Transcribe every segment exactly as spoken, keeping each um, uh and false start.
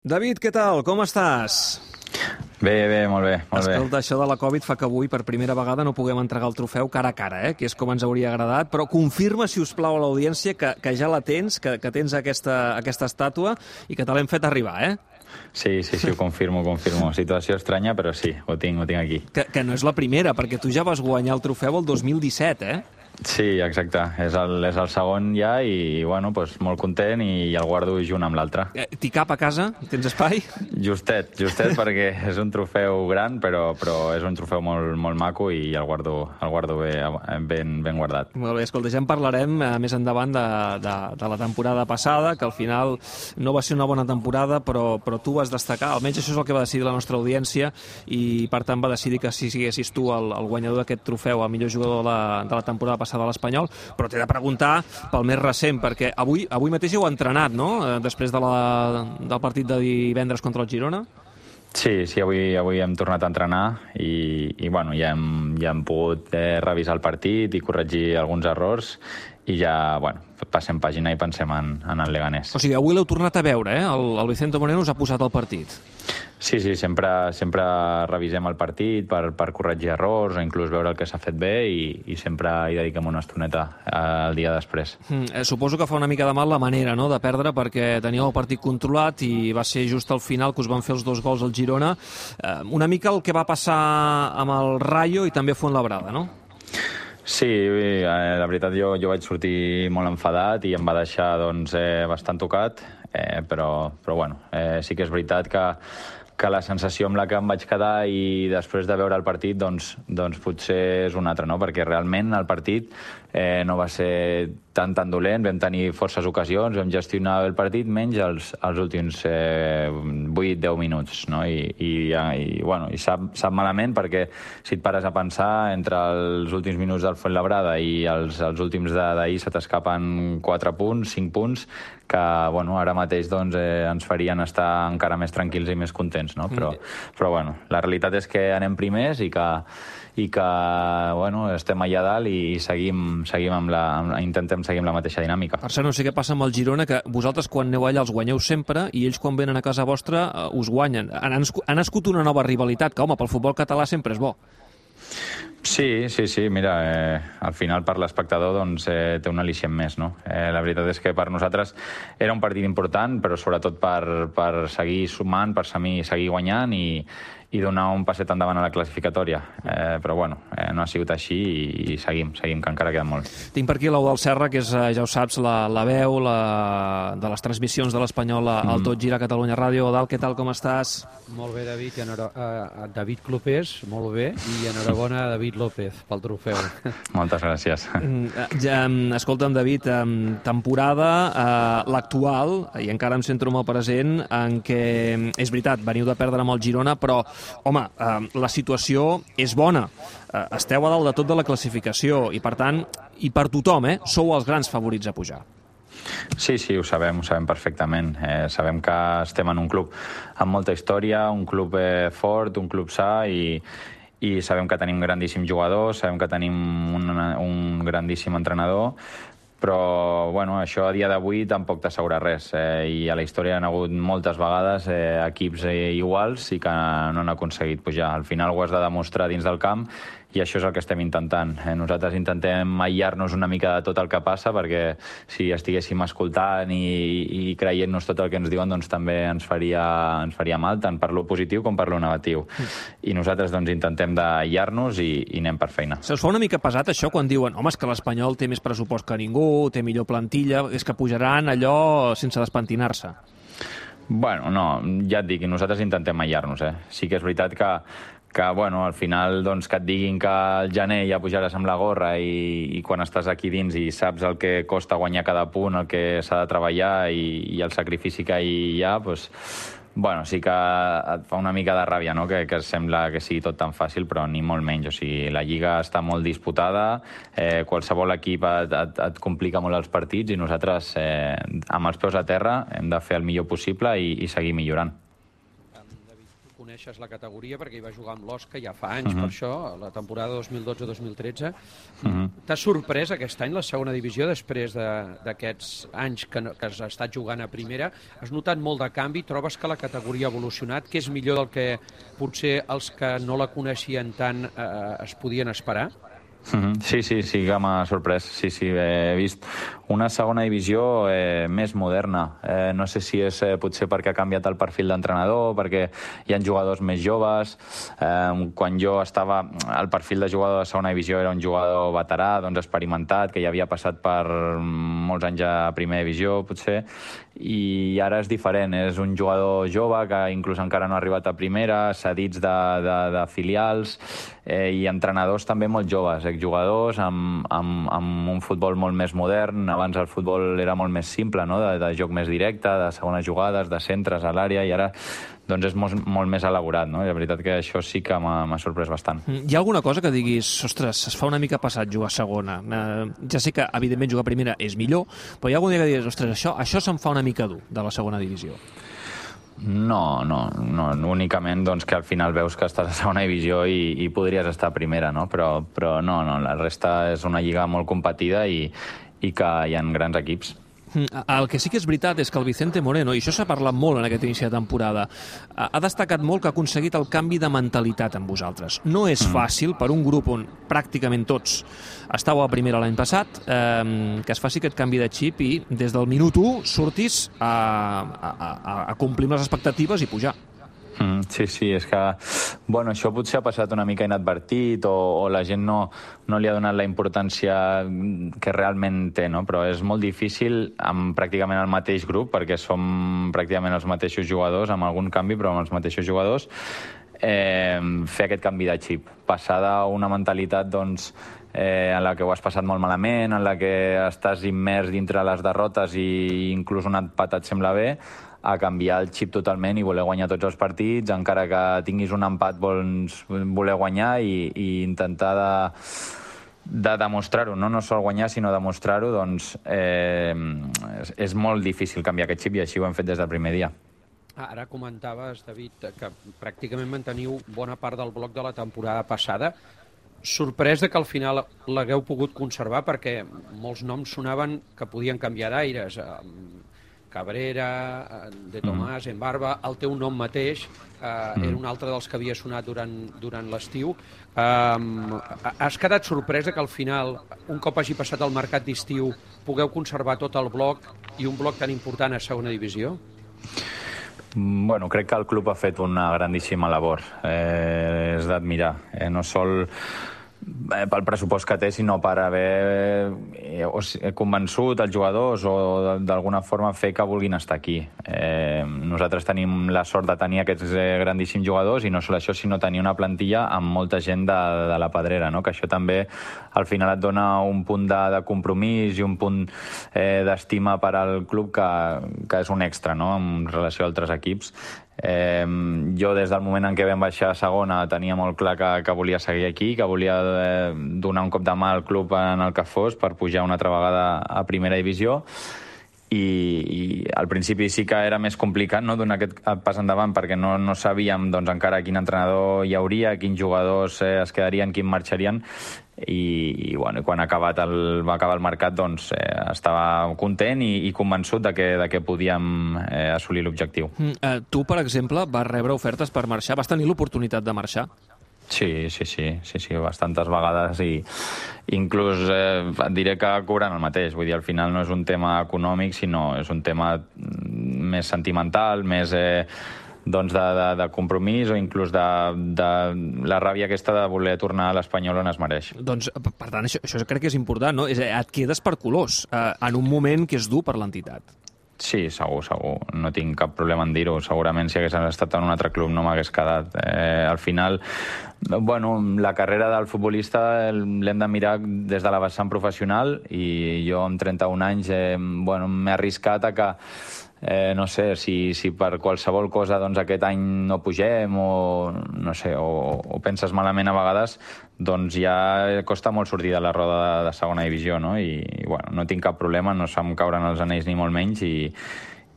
David, què tal? Com estàs? Bé, bé, molt bé, molt bé. Escolta, això de la Covid fa que avui per primera vegada no puguem entregar el trofeu cara a cara, eh? que és com ens hauria agradat, però confirma, si us plau, a l'audiència que, que ja la tens, que, que tens aquesta, aquesta estàtua i que te l'hem fet arribar, eh? Sí, sí, sí, ho confirmo, ho confirmo. Situació estranya, però sí, ho tinc, ho tinc aquí. Que, que no és la primera, perquè tu ja vas guanyar el trofeu el dos mil disset, eh? Sí, exacte. És el, és el segon ja i, bueno, doncs, molt content i el guardo junt amb l'altre. Eh, T'hi cap a casa? Tens espai? Justet, justet, perquè és un trofeu gran, però, però és un trofeu molt, molt maco i el guardo, el guardo bé, ben, ben guardat. Molt bé, escolta, ja en parlarem eh, més endavant de, de, de la temporada passada, que al final no va ser una bona temporada, però, però tu vas destacar, almenys això és el que va decidir la nostra audiència, i per tant va decidir que si siguessis tu el, el guanyador d'aquest trofeu, el millor jugador de la, de la temporada passada de l'Espanyol, però t'he de preguntar pel més recent, perquè avui, avui mateix heu entrenat, no?, eh, després de la, del partit de divendres contra el Girona. Sí, sí, avui, avui hem tornat a entrenar i, i bueno, ja hem, ja hem pogut eh, revisar el partit i corregir alguns errors i ja, bueno, passem pàgina i pensem en, en el Leganés. O sigui, avui l'heu tornat a veure, eh? El, el Vicente Moreno us ha posat al partit. Sí, sí, sempre, sempre revisem el partit per, per corregir errors o inclús veure el que s'ha fet bé i, i sempre hi dediquem una estoneta el dia després. Mm, eh, suposo que fa una mica de mal la manera, no?, de perdre, perquè teníeu el partit controlat i va ser just al final que us van fer els dos gols al Girona. Eh, una mica el que va passar amb el Rayo i també Fuenlabrada, no? Sí, eh, la veritat jo, jo vaig sortir molt enfadat i em va deixar doncs, eh, bastant tocat, eh, però, però bueno, eh, sí que és veritat que, que la sensació amb la que em vaig quedar i després de veure el partit doncs, doncs potser és una altra, no? Perquè realment el partit eh, no va ser tan tan dolent, vam tenir forces ocasions, vam gestionar el partit menys els, els últims eh, vuit a deu minuts, no? I, i, i, bueno, i sap, sap malament perquè si et pares a pensar entre els últims minuts del Fuenlabrada i els, els últims d'ahir se t'escapen quatre punts, cinc punts, que bueno, ara mateix doncs, eh, ens farien estar encara més tranquils i més contents, no? Però, però bueno, la realitat és que anem primers i que, i que bueno, estem allà dalt i seguim, seguim amb la, amb, intentem seguir amb la mateixa dinàmica. Per cert, no sé què passa amb el Girona, que vosaltres quan aneu allà els guanyeu sempre i ells quan venen a casa vostra uh, us guanyen. Ha nascut una nova rivalitat, que home, pel futbol català sempre és bo. Sí, sí, sí, mira, eh, al final per l'espectador doncs, eh, té un al·licient més, no? Eh, la veritat és que per nosaltres era un partit important, però sobretot per, per seguir sumant, per seguir guanyant i, i donar un passet endavant a la classificatòria. Eh, però bueno, eh, no ha sigut així i, i seguim, seguim, que encara queda molt. Tinc per aquí l'Eudald Serra, que és, ja ho saps, la, la veu la, de les transmissions de l'Espanyol al mm. Tot Gira Catalunya Ràdio. Eudald, què tal, com estàs? Molt bé, David, i enhora... uh, David Clopés, molt bé, i enhorabona a David López pel trofeu. Moltes gràcies. Ja, escolta'm, David, temporada uh, l'actual, i encara em centro molt present, en què, és veritat, veniu de perdre amb el Girona, però home, eh, la situació és bona. Eh, esteu a dalt de tot de la classificació i, per tant, i per tothom, eh, sou els grans favorits a pujar. Sí, sí, ho sabem, ho sabem perfectament. Eh, sabem que estem en un club amb molta història, un club eh, fort, un club sa i, i sabem que tenim grandíssims jugadors, sabem que tenim un, un grandíssim entrenador, però bueno, això a dia d'avui tampoc t'assegura res, eh, i a la història han hagut moltes vegades eh, equips eh, iguals i que no han aconseguit pujar. Al final ho has de demostrar dins del camp i això és el que estem intentant. Eh, nosaltres intentem aïllar-nos una mica de tot el que passa, perquè si estiguéssim escoltant i, i creient-nos tot el que ens diuen, doncs també ens faria, ens faria mal, tant per lo positiu com per lo negatiu. Mm. I nosaltres doncs intentem d'aïllar-nos i, i anem per feina. Se us fa una mica pesat això quan diuen home, és que l'Espanyol té més pressupost que ningú, té millor plantilla, és que pujaran allò sense despentinar-se? Bueno, no, ja et dic, nosaltres intentem aïllar-nos, eh? Sí que és veritat que que bueno, al final doncs, que et diguin que al gener ja pujaràs amb la gorra i, i quan estàs aquí dins i saps el que costa guanyar cada punt, el que s'ha de treballar i, i el sacrifici que hi ha, doncs, bueno, sí que et fa una mica de ràbia, no?, que, que sembla que sigui tot tan fàcil, però ni molt menys. O sigui, la Lliga està molt disputada, eh, qualsevol equip et, et, et complica molt els partits i nosaltres, eh, amb els peus a terra, hem de fer el millor possible i, i seguir millorant. coneixes la categoria perquè hi va jugar amb l'Osca ja fa anys, uh-huh. per això, la temporada dos mil dotze dos mil tretze. Uh-huh. T'ha sorprès aquest any la segona divisió després d'aquests anys que, no, que has estat jugant a primera? Has notat molt de canvi? Trobes que la categoria ha evolucionat, que és millor del que potser els que no la coneixien tant eh, es podien esperar? Mm-hmm. Sí, sí, sí que m'ha sorprès. Sí, sí, he vist una segona divisió eh, més moderna. Eh, no sé si és eh, potser perquè ha canviat el perfil d'entrenador, perquè hi ha jugadors més joves. Eh, quan jo estava... El perfil de jugador de segona divisió era un jugador veterà, doncs experimentat, que ja havia passat per molts anys a primera divisió, potser, i ara és diferent. És un jugador jove que inclús encara no ha arribat a primera, cedits de, de, de filials, eh, i entrenadors també molt joves, jugadors amb, amb, amb un futbol molt més modern. Abans el futbol era molt més simple, no? de, de joc més directe, de segones jugades, de centres a l'àrea, i ara doncs és molt, molt més elaborat, no? I la veritat que això sí que m'ha sorprès bastant. Hi ha alguna cosa que diguis, ostres, es fa una mica passat jugar a segona? Eh, ja sé que, evidentment, jugar a primera és millor, però hi ha algun dia que diguis, ostres, això, això se'm fa una mica dur, de la segona divisió. No, no, no, únicament doncs, que al final veus que estàs a segona divisió i, i podries estar a primera, no? Però, però no, no, la resta és una lliga molt competida i, i que hi ha grans equips. El que sí que és veritat és que el Vicente Moreno, i això s'ha parlat molt en aquest inici de temporada, ha destacat molt que ha aconseguit el canvi de mentalitat amb vosaltres. No és fàcil per un grup on pràcticament tots estàveu a primera l'any passat, eh, que es faci aquest canvi de xip i des del minut u surtis a, a, a, a complir les expectatives i pujar. Mm, sí, sí, és que bueno, això potser ha passat una mica inadvertit o, o la gent no, no li ha donat la importància que realment té, no? Però és molt difícil amb pràcticament el mateix grup, perquè som pràcticament els mateixos jugadors, amb algun canvi, però amb els mateixos jugadors, eh, fer aquest canvi de xip. Passar d'una mentalitat doncs, eh, en la que ho has passat molt malament, en la que estàs immers dintre les derrotes i inclús un empat et sembla bé, a canviar el xip totalment i voler guanyar tots els partits, encara que tinguis un empat vols voler guanyar i, i intentar de, de demostrar-ho, no? No sol guanyar sinó demostrar-ho, doncs eh, és, és molt difícil canviar aquest xip i així ho hem fet des del primer dia. Ara comentaves, David, que pràcticament manteniu bona part del bloc de la temporada passada. Sorprès de que al final l'hagueu pogut conservar, perquè molts noms sonaven que podien canviar d'aires. Cabrera, De Tomàs, mm. Embarba, el teu nom mateix eh, mm. era un altre dels que havia sonat durant, durant l'estiu. Um, has quedat sorpresa que al final, un cop hagi passat el mercat d'estiu, pugueu conservar tot el bloc i un bloc tan important a segona divisió? Bueno, crec que el club ha fet una grandíssima labor. Eh, és d'admirar. Eh, no sol pel pressupost que té, sinó per haver eh, convençut els jugadors o d'alguna forma fer que vulguin estar aquí. Eh, nosaltres tenim la sort de tenir aquests eh, grandíssims jugadors i no sol això, sinó tenir una plantilla amb molta gent de, de la pedrera, no? Que això també al final et dona un punt de, de compromís i un punt eh, d'estima per al club que, que és un extra, no? En relació a altres equips. Eh, jo des del moment en què vam baixar a segona tenia molt clar que, que volia seguir aquí, que volia eh, donar un cop de mà al club en el que fos per pujar una altra vegada a primera divisió i, i al principi sí que era més complicat, no?, donar aquest pas endavant perquè no, no sabíem doncs, encara quin entrenador hi hauria, quins jugadors eh, es quedarien, quins marxarien. I, i, bueno, i quan ha acabat el, va acabar el mercat doncs, eh, estava content i, i convençut de que, de que podíem eh, assolir l'objectiu. Mm, eh, tu, per exemple, vas rebre ofertes per marxar? Vas tenir l'oportunitat de marxar? Sí, sí, sí, sí, sí, bastantes vegades i inclús eh, et diré que cobrant el mateix. Vull dir, al final no és un tema econòmic, sinó és un tema més sentimental, més... Eh, doncs de, de, de compromís o inclús de, de la ràbia aquesta de voler tornar a l'Espanyol on es mereix. Doncs, per tant, això, això crec que és important, no? És, et quedes per colors eh, en un moment que és dur per l'entitat. Sí, segur, segur. No tinc cap problema en dir-ho. Segurament si hagués estat en un altre club no m'hagués quedat. Eh, al final, bueno, la carrera del futbolista l'hem de mirar des de la vessant professional i jo amb trenta-un anys eh, bueno, m'he arriscat a que Eh, no sé, si, si per qualsevol cosa doncs, aquest any no pugem o, no sé, o, o penses malament a vegades, doncs ja costa molt sortir de la roda de, de segona divisió, no? I, i bueno, no tinc cap problema, no se'm cauren els anells ni molt menys i,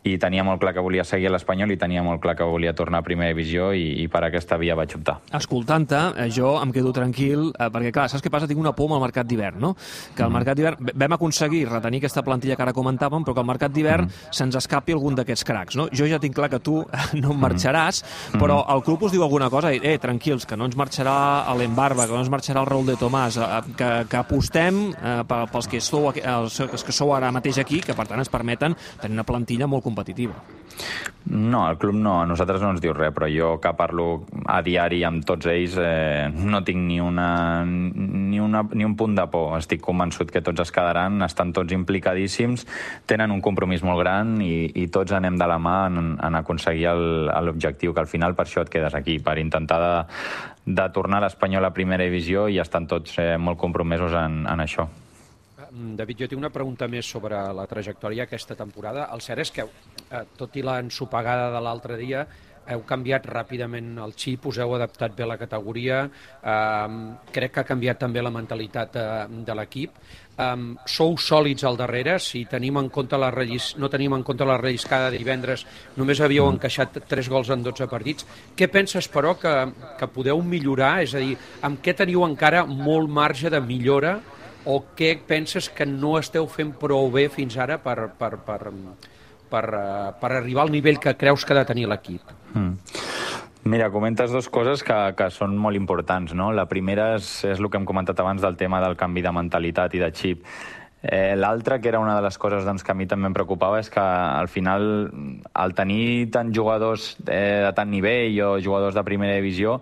i tenia molt clar que volia seguir a l'Espanyol i tenia molt clar que volia tornar a primera divisió i, i per aquesta via vaig optar. Escoltant-te, eh, jo em quedo tranquil, eh, perquè clar, saps què passa? Tinc una por amb el mercat d'hivern, no? Que al mercat d'hivern vam aconseguir retenir aquesta plantilla que ara comentàvem, però que al mercat d'hivern mm. se'ns escapi algun d'aquests cracs, no? Jo ja tinc clar que tu no em marxaràs, mm. però el club us diu alguna cosa, eh, tranquils, que no ens marxarà l'Embarba, que no ens marxarà el Raúl de Tomàs, eh, que, que apostem eh, pels que sou, els, els que sou ara mateix aquí, que per tant ens permeten tenir una plantilla molt competitiva. No, el club no, a nosaltres no ens diu res, però jo que parlo a diari amb tots ells eh, no tinc ni, una, ni, una, ni un punt de por. Estic convençut que tots es quedaran, estan tots implicadíssims, tenen un compromís molt gran i, i tots anem de la mà en, en aconseguir l'objectiu, que al final per això et quedes aquí, per intentar de, de tornar a l'Espanyol a primera divisió i estan tots eh, molt compromesos en, en això. David, jo tinc una pregunta més sobre la trajectòria aquesta temporada. El cert és que, eh, tot i l'ensopegada de l'altre dia, heu canviat ràpidament el xip, us heu adaptat bé a la categoria, eh, crec que ha canviat també la mentalitat de, de l'equip. Um, sou sòlids al darrere, si tenim en compte la rellis... no tenim en compte la relliscada de divendres, només havíeu encaixat tres gols en dotze partits. Què penses, però, que, que podeu millorar? És a dir, amb què teniu encara molt marge de millora o què penses que no esteu fent prou bé fins ara per, per, per, per, per arribar al nivell que creus que ha de tenir l'equip? Mm. Mira, comentes dues coses que, que són molt importants, no? La primera és, és el que hem comentat abans del tema del canvi de mentalitat i de xip. Eh, L'altra, que era una de les coses doncs, que a mi també em preocupava, és que al final, al tenir tants jugadors eh, de tant nivell o jugadors de primera divisió,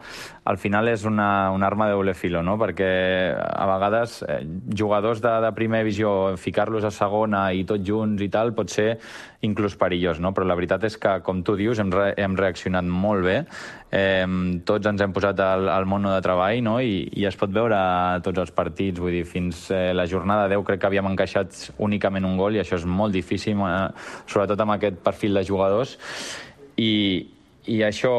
al final és una, una arma de doble filo, no? Perquè a vegades eh, jugadors de, de primera divisió, ficar-los a segona i tots junts i tal, pot ser inclús perillós, no? Però la veritat és que, com tu dius, hem, re hem reaccionat molt bé, eh, tots ens hem posat al, al mono de treball, no? I, i es pot veure a tots els partits, vull dir, fins eh, la jornada deu crec que havíem encaixat únicament un gol i això és molt difícil, eh, sobretot amb aquest perfil de jugadors, i I això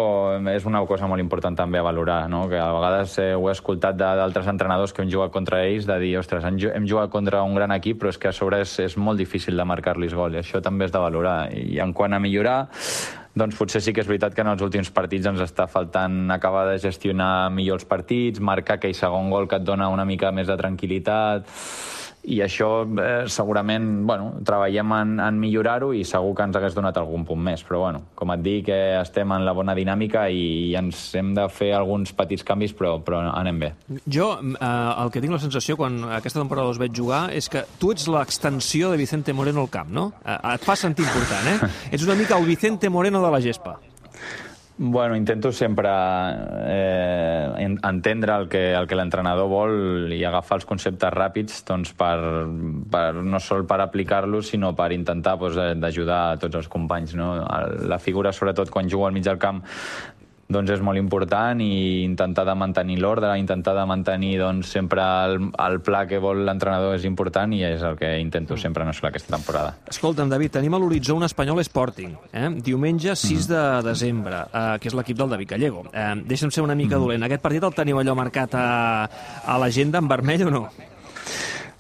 és una cosa molt important també a valorar, no? Que a vegades eh, ho he escoltat d'altres entrenadors que hem jugat contra ells, de dir, ostres, hem jugat contra un gran equip, però és que a sobre és, és molt difícil de marcar-los gol, i això també és de valorar. I en quant a millorar, doncs potser sí que és veritat que en els últims partits ens està faltant acabar de gestionar millor els partits, marcar aquell segon gol que et dona una mica més de tranquil·litat, i això eh, segurament, bueno, treballem en, en millorar-ho i segur que ens hagués donat algun punt més, però bueno, com et dic, eh, estem en la bona dinàmica i, i ens hem de fer alguns petits canvis, però, però anem bé. Jo eh, el que tinc la sensació quan aquesta temporada us veig jugar és que tu ets l'extensió de Vicente Moreno al camp, no? Eh, et fa sentir important, eh? Ets una mica el Vicente Moreno de la gespa. Bueno, intento sempre eh, entendre el que, el que l'entrenador vol i agafar els conceptes ràpids doncs, per, per, no sol per aplicar-los, sinó per intentar doncs, d'ajudar a tots els companys. No? La figura, sobretot quan jugo al mig del camp, doncs és molt important, i intentar de mantenir l'ordre, intentar de mantenir doncs, sempre el, el pla que vol l'entrenador és important, i és el que intento sempre, no sols aquesta temporada. Escolta'm, David, tenim a l'horitzó un Espanyol Sporting, eh? diumenge sis de desembre, eh, que és l'equip del David Gallego. Eh, deixa'm ser una mica dolent. Aquest partit el teniu allò marcat a, a l'agenda en vermell o no?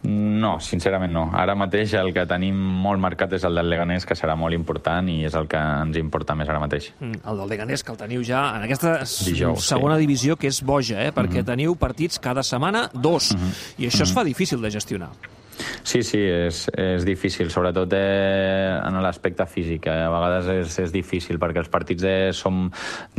No, sincerament no. Ara mateix el que tenim molt marcat és el del Leganés, que serà molt important i és el que ens importa més ara mateix. Mm, el del Leganés, que el teniu ja en aquesta Dijous, segona sí. divisió, que és boja, eh? perquè mm-hmm. teniu partits cada setmana, dos, mm-hmm. i això mm-hmm. es fa difícil de gestionar. Sí, sí, és, és difícil, sobretot eh, en l'aspecte físic. Eh? A vegades és, és difícil, perquè els partits eh, som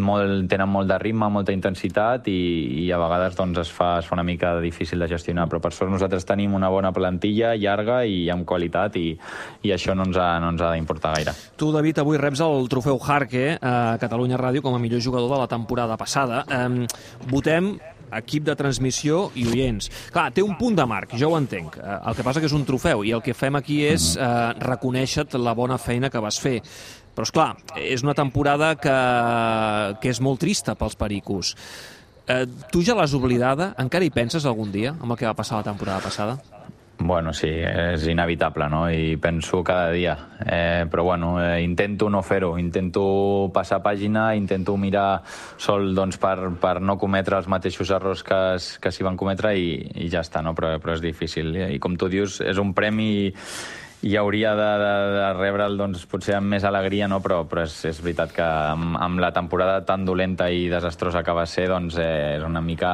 molt, tenen molt de ritme, molta intensitat, i, i a vegades doncs, es, fa, es fa una mica difícil de gestionar. Però per sort nosaltres tenim una bona plantilla, llarga i amb qualitat, i, i això no ens ha, no ens ha d'importar gaire. Tu, David, avui reps el trofeu Jarque a Catalunya Ràdio com a millor jugador de la temporada passada. Eh, votem equip de transmissió i oients. Clar, té un punt de marc, jo ho entenc. El que passa que és un trofeu, i el que fem aquí és eh, reconèixer la bona feina que vas fer. Però, esclar, és una temporada que, que és molt trista pels pericos. Eh, tu ja l'has oblidada? Encara hi penses algun dia, amb el que va passar la temporada passada? Bueno, sí, és inevitable, no? I penso cada dia. Eh, però, bueno, eh, intento no fer-ho. Intento passar pàgina, intento mirar sol doncs, per, per no cometre els mateixos errors que, que s'hi van cometre, i, i ja està, no? Però, però és difícil. I com tu dius, és un premi, i hauria de, de, de rebre'l doncs, potser amb més alegria, no? però, però és, és veritat que amb, amb la temporada tan dolenta i desastrosa que va ser, doncs eh, és una mica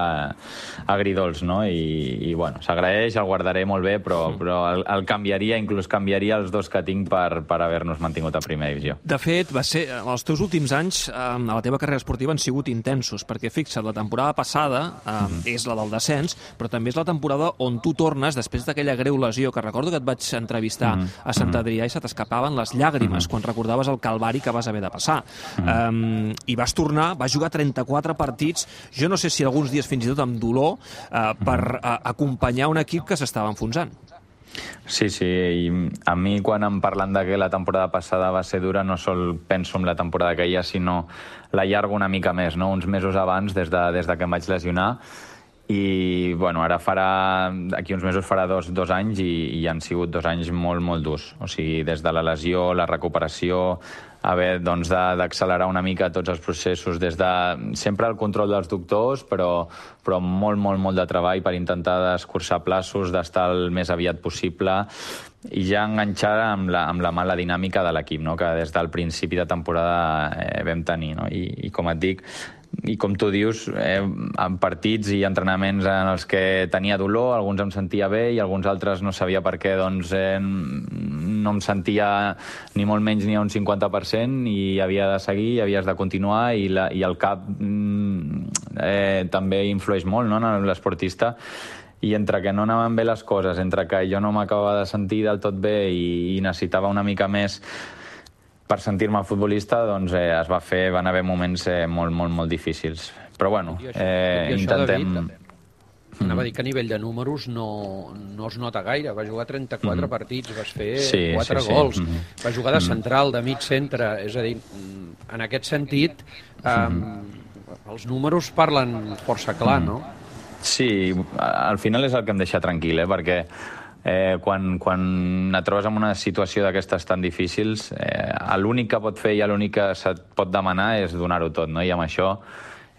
agridols, no? I, i bueno, s'agraeix, el guardaré molt bé, però, mm. però el, el canviaria, inclús canviaria els dos que tinc per, per haver-nos mantingut a primera divisió. De fet, va ser, els teus últims anys eh, a la teva carrera esportiva han sigut intensos, perquè fixa't, la temporada passada eh, mm. és la del descens, però també és la temporada on tu tornes després d'aquella greu lesió, que recordo que et vaig entrevistar mm. a Sant Adrià i se t'escapaven les llàgrimes mm. quan recordaves el calvari que vas haver de passar. Mm. Um, I vas tornar, vas jugar trenta-quatre partits, jo no sé si alguns dies fins i tot amb dolor, uh, per uh, acompanyar un equip que s'estava enfonsant. Sí, sí, i a mi quan em parlen de que la temporada passada va ser dura, no sol penso en la temporada que hi ha, sinó la llargo una mica més, no? Uns mesos abans, des de, des de que em vaig lesionar, i bueno, ara farà, d'aquí uns mesos farà dos, dos anys i, i han sigut dos anys molt, molt durs. O sigui, des de la lesió, la recuperació, haver doncs, d'accelerar una mica tots els processos, des de sempre el control dels doctors, però, però molt, molt, molt de treball per intentar escurçar plaços, d'estar el més aviat possible i ja enganxar amb la, amb la mala dinàmica de l'equip, no? Que des del principi de temporada eh, vam tenir. No? I, I com et dic, i com tu dius, eh, en partits i entrenaments en els que tenia dolor, alguns em sentia bé i alguns altres no sabia per què, doncs eh, no em sentia ni molt menys ni a un cinquanta per cent i havia de seguir, i havies de continuar i, la, i el cap eh, també influeix molt, no?, en l'esportista, i entre que no anaven bé les coses, entre que jo no m'acabava de sentir del tot bé i, i necessitava una mica més per sentir-me futbolista, doncs eh, es va fer, van haver moments eh, molt, molt, molt difícils. Però bueno, eh, intentem... Mm. Anava a dir que a nivell de números no, no es nota gaire. Va jugar trenta-quatre mm. partits, vas fer sí, quatre sí, gols, sí. Mm. va jugar de central, de mig centre, és a dir, en aquest sentit, um, mm. els números parlen força clar, mm. no? Sí, al final és el que em deixa tranquil, eh? Perquè Eh, quan, quan et trobes en una situació d'aquestes tan difícils, eh, l'únic que pot fer i l'únic que se't pot demanar és donar-ho tot, no? I amb això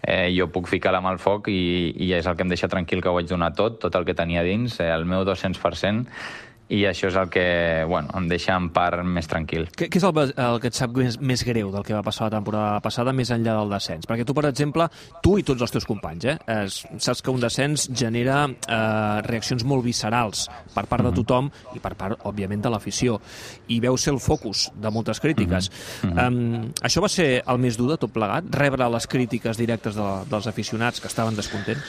eh, jo puc ficar la mà al foc i, i és el que em deixa tranquil, que ho vaig donar tot, tot el que tenia dins, eh, el meu dos-cents per cent, i això és el que bueno, em deixa en part més tranquil. Què, què és el, el que et sap més, més greu del que va passar la temporada passada més enllà del descens? Perquè tu, per exemple, tu i tots els teus companys, eh, es, saps que un descens genera eh, reaccions molt viscerals per part de tothom i per part, òbviament, de l'afició. I veu ser el focus de moltes crítiques. Mm-hmm. Um, això va ser el més dur de tot plegat? Rebre les crítiques directes de, dels aficionats que estaven descontents?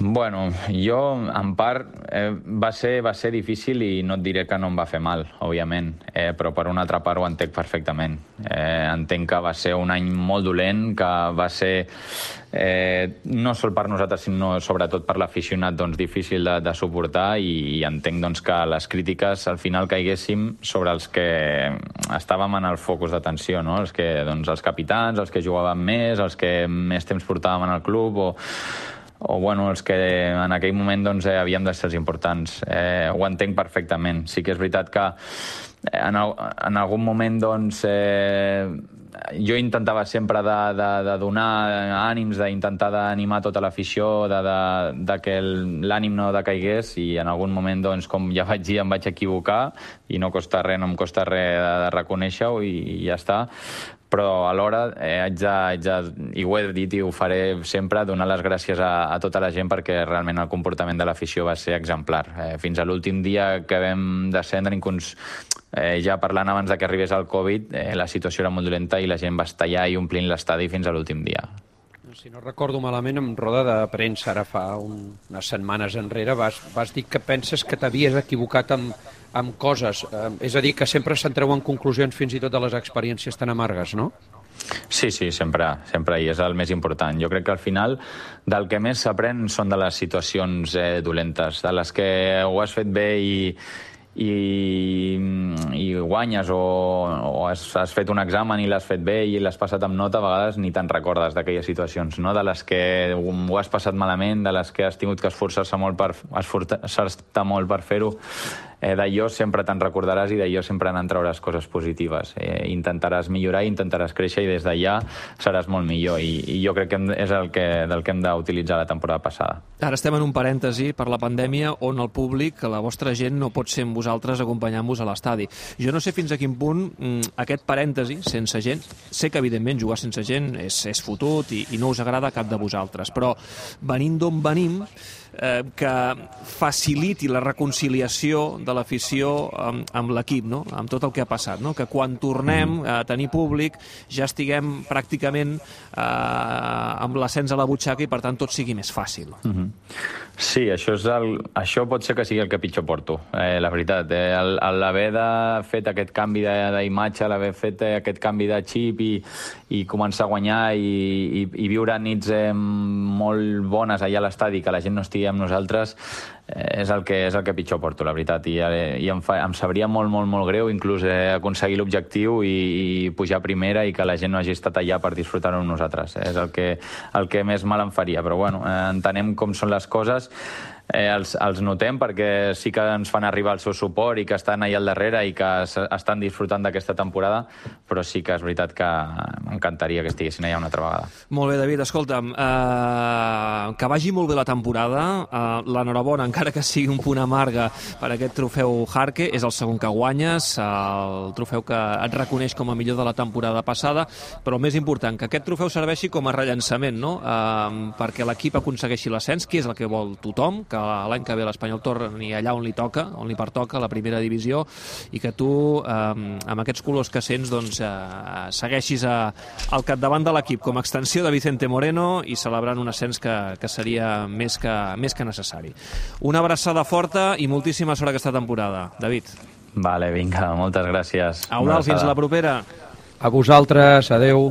Bueno, jo, en part, eh, va, ser, va ser difícil i no et diré que no em va fer mal, òbviament, eh, però per una altra part ho entenc perfectament. Eh, entenc que va ser un any molt dolent, que va ser, eh, no sol per nosaltres, sinó sobretot per l'aficionat, doncs, difícil de, de suportar, i, i entenc doncs, que les crítiques al final caiguéssim sobre els que estàvem en el focus d'atenció, no? Els, que, doncs, els capitans, els que jugaven més, els que més temps portàvem en el club, o o bueno, els que en aquell moment doncs, eh, havíem de ser els importants. Eh, ho entenc perfectament. Sí que és veritat que en, en algun moment doncs, eh, jo intentava sempre de, de, de donar ànims, d'intentar d'animar tota l'afició, de, de, de que l'ànim no decaigués, i en algun moment, doncs, com ja vaig dir, em vaig equivocar, i no costa res, no em costa res de, de reconèixer-ho, i, i ja està. Però alhora eh, haig de, haig de, i ho he dit i ho faré sempre, donar les gràcies a, a tota la gent, perquè realment el comportament de l'afició va ser exemplar. Eh, fins a l'últim dia que vam descendre, inclús eh, ja parlant abans de que arribés el Covid, eh, la situació era molt dolenta i la gent va estar allà i omplint l'estadi fins a l'últim dia. Si no recordo malament, en roda de premsa, ara fa un, unes setmanes enrere, vas, vas dir que penses que t'havies equivocat amb, amb coses. Eh, és a dir, que sempre se'n treuen conclusions fins i tot de les experiències tan amargues, no? Sí, sí, sempre, sempre, i és el més important. Jo crec que al final del que més s'aprèn són de les situacions eh, dolentes, de les que ho has fet bé i, i, i guanyes, o, o has, has fet un examen i l'has fet bé i l'has passat amb nota, a vegades ni te'n recordes d'aquelles situacions, no? De les que ho has passat malament, de les que has tingut que esforçar-se molt per, esforçar-te molt per fer-ho. eh, d'allò sempre te'n recordaràs i d'allò sempre n'en trauràs coses positives. Eh, intentaràs millorar, intentaràs créixer i des d'allà seràs molt millor i, i jo crec que hem, és el que, del que hem d'utilitzar la temporada passada. Ara estem en un parèntesi per la pandèmia on el públic, la vostra gent, no pot ser amb vosaltres acompanyant-vos a l'estadi. Jo no sé fins a quin punt mm, aquest parèntesi, sense gent, sé que evidentment jugar sense gent és, és fotut i, i no us agrada a cap de vosaltres, però venint d'on venim, eh, que faciliti la reconciliació de l'afició amb, amb l'equip, no? Amb tot el que ha passat, no? Que quan tornem a tenir públic ja estiguem pràcticament eh, amb l'ascens a la butxaca i per tant tot sigui més fàcil. Mm-hmm. Sí, això, és el, això pot ser que sigui el que pitjor porto, eh, la veritat. Eh, l'haver de fet aquest canvi d'imatge, l'haver fet aquest canvi de xip i, i començar a guanyar i, i, i viure nits eh, molt bones allà a l'estadi, que la gent no estigui amb nosaltres, eh, és, el que, és el que pitjor porto, la veritat. I, eh, i em, fa, em sabria molt, molt, molt greu inclús eh, aconseguir l'objectiu i, i pujar a primera i que la gent no hagi estat allà per disfrutar-ho amb nosaltres. Eh, és el que, el que més mal em faria, però bueno, eh, entenem com són les coses. Eh, els, els notem perquè sí que ens fan arribar el seu suport i que estan allà al darrere i que estan disfrutant d'aquesta temporada, però sí que és veritat que m'encantaria que estiguessin allà una altra vegada. Molt bé, David, escolta'm, eh, que vagi molt bé la temporada, eh, l'enhorabona, encara que sigui un punt amarga per aquest trofeu Jarque, és el segon que guanyes, el trofeu que et reconeix com a millor de la temporada passada, però el més important, que aquest trofeu serveixi com a rellançament, no? Eh, perquè l'equip aconsegueixi l'ascens, que és el que vol tothom, que l'any que ve l'Espanyol torni allà on li toca, on li pertoca, a la primera divisió, i que tu, eh, amb aquests colors que sents, doncs, eh, segueixis a, al capdavant de l'equip com a extensió de Vicente Moreno i celebrant un ascens que, que seria més que, més que necessari. Una abraçada forta i moltíssima sort aquesta temporada, David. Vale, vinga, moltes gràcies. Eudald, fins la propera. A vosaltres, adeu.